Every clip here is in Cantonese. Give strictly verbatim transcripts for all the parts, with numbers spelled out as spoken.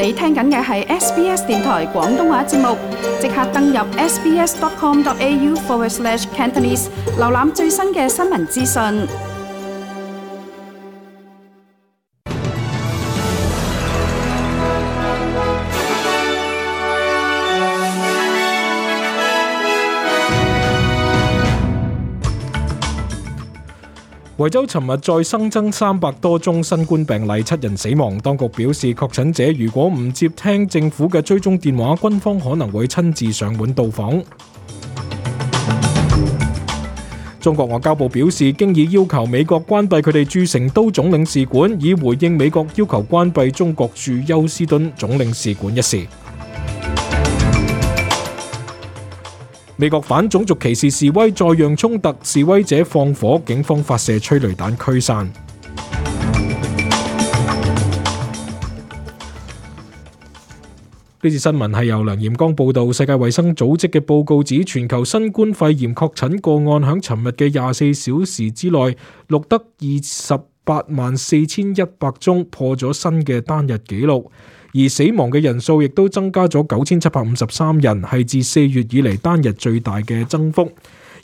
你聽緊嘅係 S B S 電台廣東話節目，即刻登入 sbs.com.au forward slash Cantonese， 瀏覽最新嘅新聞資訊。維州尋日再新增三百多宗新冠病例，七人死亡。當局表示，確診者如果唔接聽政府嘅追蹤電話，軍方可能會親自上門到訪。中國外交部表示，經已要求美國關閉佢哋駐成都總領事館，以回應美國要求關閉中國駐休斯敦總領事館一事。美國反種族歧視示威再釀衝突，示威者放火，警方發射催淚彈驅散。呢次新聞係由梁彥剛報道。世界衛生組織嘅報告指，全球新冠肺炎確診個案響尋日嘅廿四小時之內錄得二十八萬四千一百宗，破咗新嘅單日紀錄。而死亡嘅人數亦都增加咗九千七百五十三人，係自四月以嚟單日最大嘅增幅。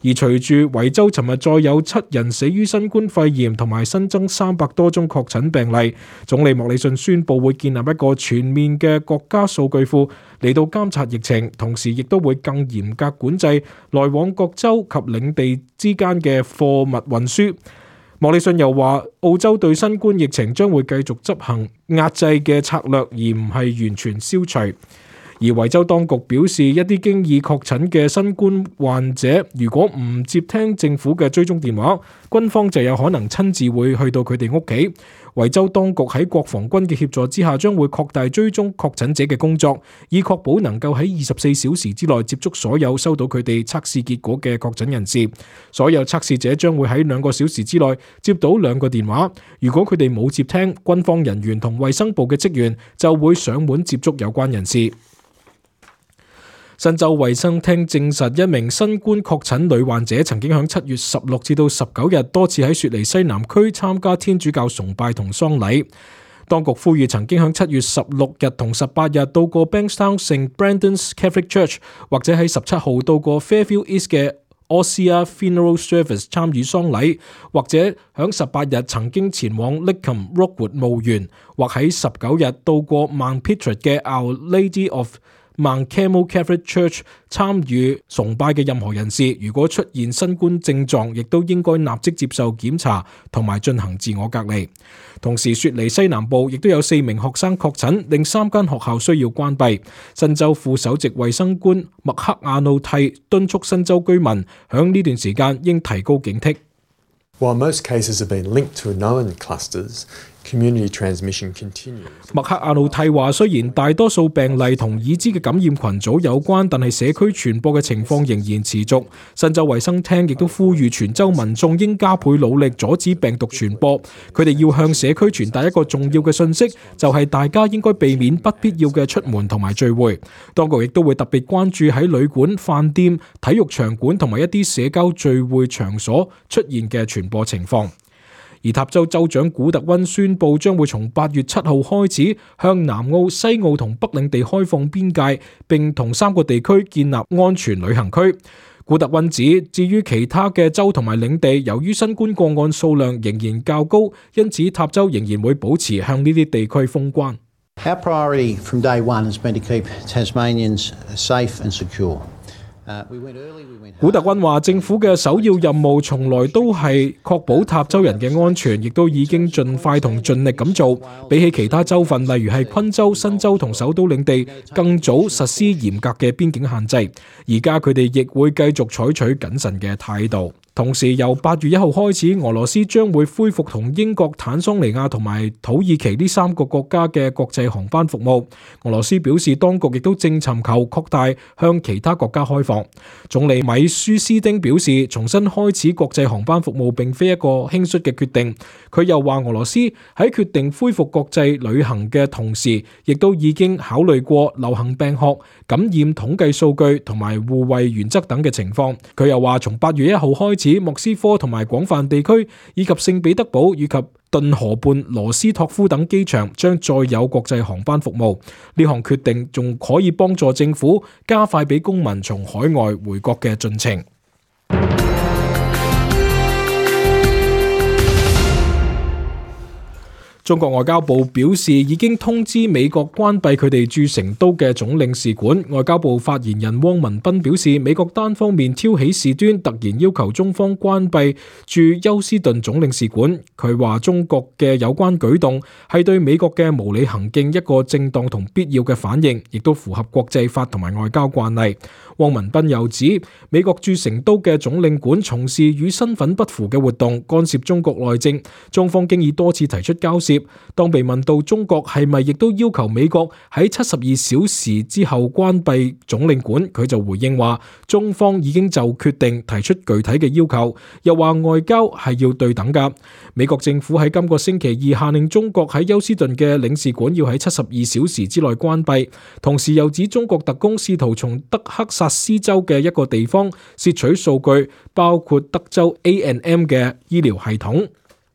而隨住維州尋日再有七人死於新冠肺炎，同埋新增三百多宗確診病例，總理莫里遜宣布會建立一個全面嘅國家數據庫嚟到監察疫情，同時亦都會更嚴格管制來往各州及領地之間嘅貨物運輸。莫里遜又話，澳洲對新冠疫情將會繼續執行壓制嘅策略，而唔係完全消除。而維州當局表示，一啲經已確診嘅新冠患者，如果唔接聽政府嘅追蹤電話，軍方就有可能親自會去到佢哋屋企。維州當局喺國防軍嘅協助之下，將會擴大追蹤確診者嘅工作，以確保能夠喺二十四小時之內接觸所有收到佢哋測試結果嘅確診人士。所有測試者將會喺兩個小時之內接到兩個電話，如果佢哋冇接聽，軍方人員同衛生部嘅職員就會上門接觸有關人士。新州衛生廳證實，一名新冠確診女患者曾經喺七月十六至到十九日多次喺雪梨西南區參加天主教崇拜同喪禮。當局呼籲曾經喺七月十六日同十八日到過 Bankstown Saint Brendan's Catholic Church， 或者喺十七號到過 Fairfield East 嘅 Ossia Funeral Service 參與喪禮，或者喺十八日曾經前往 Lidcombe Rockwood 墓園，或喺十九日到過 Mount Pittred 嘅 Our Lady of Mount Carmel Catholic Church 參與崇拜嘅任何人士，如果出現新冠症狀，亦都應該立即接受檢查同埋進行自我隔離。同時，雪梨西南部亦都有四名學生確診，令三間學校需要關閉。新州副首席衛生官麥克亞努蒂敦促新州居民響呢段時間應提高警惕。While most cases have been linked to known clusters, community transmission continues. 麥克亞努蒂話，雖然大多數病例同已知嘅感染群組有關，但係社區傳播嘅情況仍然持續。新州衛生廳亦都呼籲全州民眾應加倍努力阻止病毒傳播。佢哋要向社區傳達一個重要嘅訊息，就係大家應該避免不必要嘅出門同埋聚會。當局亦都會特別關注喺旅館、飯店、體育場館同埋一啲社交聚會場所出現嘅傳播情況。而塔州州長古特溫宣布，將會從八月七號開始向南澳、西澳同北領地開放邊界，並同三個地區建立安全旅行區。古特溫指，至於其他嘅州同埋領地，由於新冠個案數量仍然較高，因此塔州仍然會保持向呢啲地區封關。Our priority from day one has been to keep Tasmanians safe and secure. 古特溫話，政府嘅首要任務從來都係確保塔州人嘅安全，亦都已經盡快同盡力咁做。比起其他州份，例如係昆州、新州同首都領地，更早實施嚴格嘅邊境限制。而家佢哋亦會繼續採取謹慎嘅態度。同時，由八月一號開始，俄羅斯將會恢復同英國、坦桑尼亞同埋土耳其呢三個國家嘅國際航班服務。俄羅斯表示，當局亦都正尋求擴大向其他國家開放。總理米舒斯丁表示，重新開始國際航班服務並非一個輕率嘅決定。佢又話，俄羅斯喺決定恢復國際旅行嘅同時，亦都已經考慮過流行病學、感染統計數據同埋互惠原則等嘅情況。佢又話，從八月一號開始，此莫斯科同埋廣泛地區以及聖彼得堡以及頓河畔羅斯托夫等機場將再有國際航班服務。呢項決定仲可以幫助政府加快俾公民從海外回國嘅進程。中國外交部表示已經通知美國關閉佢哋駐成都嘅總領事館。外交部發言人汪文斌表示，美國單方面挑起事端，突然要求中方關閉駐休斯頓總領事館。佢話中國嘅有關舉動係對美國嘅無理行徑一個正當同必要嘅反應，亦都符合國際法同埋外交慣例。汪文斌又指，美國駐成都嘅總領館從事與身份不符嘅活動，干涉中國內政，中方經已多次提出交涉。當被問到中國係咪亦都要求美國喺七十二小時之後關閉總領館，佢就回應話，中方已經就決定提出具體嘅要求，又話外交係要對等㗎。美國政府喺今個星期二下令中國喺休斯頓嘅領事館要喺七十二小時之內關閉，同時又指中國特工試圖從德克薩斯州嘅一個地方竊取數據，包括德州 A and M 嘅醫療系統。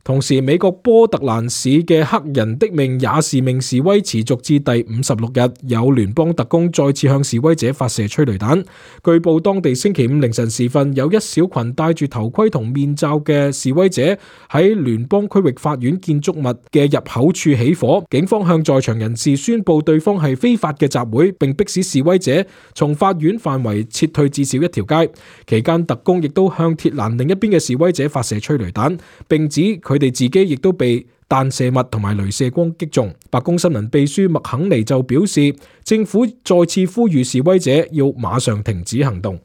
同時，美國波特蘭市嘅黑人的命也是命示威持續至第五十六日，有聯邦特工再次向示威者發射催淚彈。據報當地星期五凌晨時分，有一小群戴住頭盔同面罩嘅示威者喺聯邦區域法院建築物嘅入口處起火，警方向在場人士宣布對方係非法嘅集會，並迫使示威者從法院範圍撤退至少一條街。期間特工亦都向鐵欄另一邊嘅示威者發射催淚彈，並指佢哋自己亦都被彈射物同埋雷射光擊中。白宮新聞秘書麥肯尼就表示，政府再次呼籲示威者要馬上停止行動。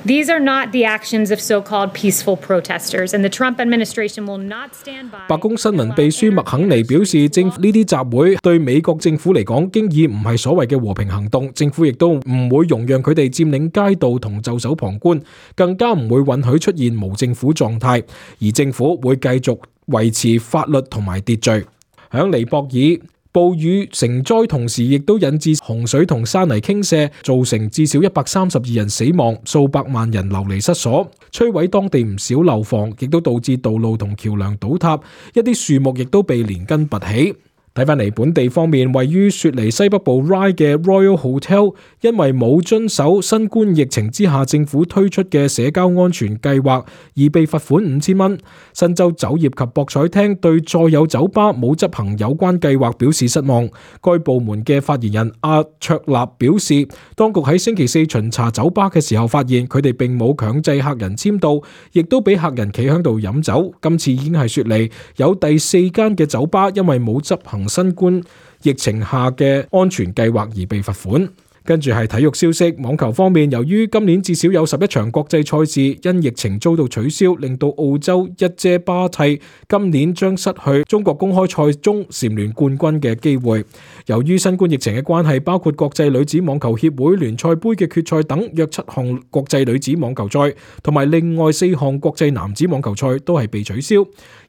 These are not the actions of so-called peaceful protesters, and the Trump administration will not stand by. 白宮新聞秘書麥肯尼表示，政府呢啲集會對美國政府嚟講，經已唔係所謂嘅和平行動，政府亦都唔會容讓佢哋佔領街道同袖手旁觀，更加唔會允許出現無政府狀態，而政府會繼續維持法律同埋秩序。響尼泊爾，暴雨成災，同時亦都引致洪水同山泥傾瀉，造成至少一百三十二人死亡，數百萬人流離失所，摧毀當地唔少樓房，亦都導致道路同橋樑倒塌，一啲樹木亦都被連根拔起。睇返嚟本地方面，位於雪梨西北部 Ryde 嘅 Royal Hotel 因為冇遵守新冠疫情之下政府推出嘅社交安全計劃而被罰款五千蚊。新州酒業及博彩廳對再有酒吧冇執行有關計劃表示失望。該部門嘅發言人阿卓納表示，當局喺星期四巡查酒吧嘅時候發現佢哋並冇強制客人簽到，亦都俾客人企喺度飲酒。今次已經係雪梨有第四間嘅酒吧因為冇執行新冠疫情下嘅安全計劃而被罰款。跟住係體育消息，網球方面，由於今年至少有十一場國際賽事因疫情遭到取消，令到澳洲一姐巴蒂今年將失去中國公開賽中蟬聯冠軍嘅機會。由於新冠疫情嘅關係，包括國際女子網球協會聯賽杯嘅決賽等約七項國際女子網球賽，同埋另外四項國際男子網球賽都係被取消。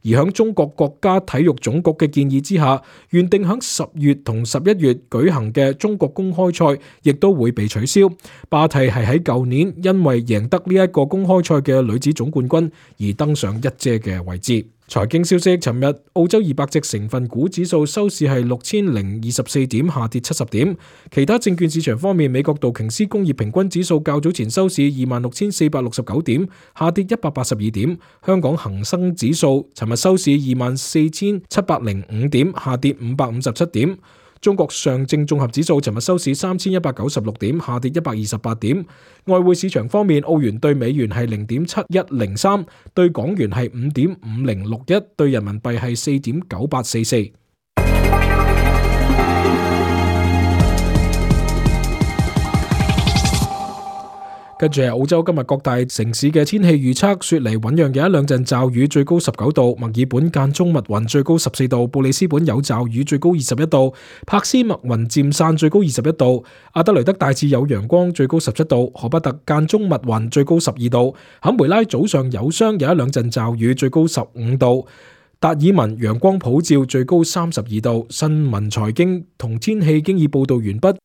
而響中國國家體育總局嘅建議之下，原定響十月同十一月舉行嘅中國公開賽亦都會被取消。巴蒂係喺舊年因為贏得呢一個公開賽嘅女子總冠軍而登上一姐嘅位置。財經消息，尋日澳洲二百隻成分股指數收市係六千零二十四點，下跌七十點。其他證券市場方面，美國道瓊斯工業平均指數較早前收市二萬六千四百六十九點，下跌一百八十二點。香港恒生指數尋日收市二萬四千七百零五點，下跌五百五十七點。中國上證綜合指數尋日收市三千一百九十六點，下跌一百二十八點。外匯市場方面，澳元對美元係零點七一零三，對港元係五點五零六一，對人民幣係四點九八四四。跟住係澳洲今日各大城市嘅天氣預測，雪梨醞釀有一兩陣驟雨，最高十九度；墨爾本間中密雲，最高十四度；布里斯本有驟雨，最高二十一度；柏斯密雲漸散，最高二十一度；阿德雷德大致有陽光，最高十七度；荷伯特間中密雲，最高十二度；坎培拉早上有霜，有一兩陣驟雨，最高十五度；達爾文陽光普照，最高三十二度。新聞財經同天氣經已報道完畢。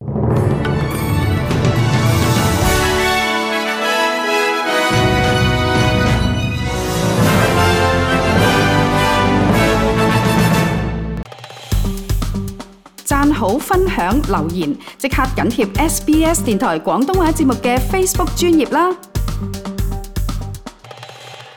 讚好、分享、留言，即刻緊貼 S B S 電台廣東話節目嘅 Facebook 專頁啦！